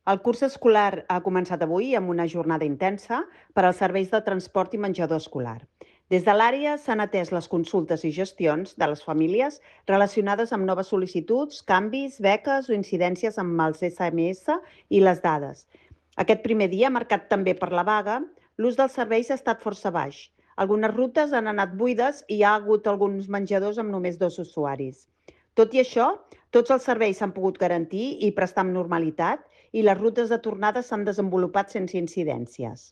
El curs escolar ha començat avui amb una jornada intensa per als serveis de transport i menjador escolar. Des de l'àrea s'han atès les consultes i gestions de les famílies relacionades amb noves sol·licituds, canvis, beques o incidències amb els SMS i les dades. Aquest primer dia, marcat també per la vaga, l'ús dels serveis ha estat força baix. Algunes rutes han anat buides i hi ha hagut alguns menjadors amb només 2 usuaris. Tot i això, tots els serveis s'han pogut garantir i prestar amb normalitat i les rutes de tornada s'han desenvolupat sense incidències.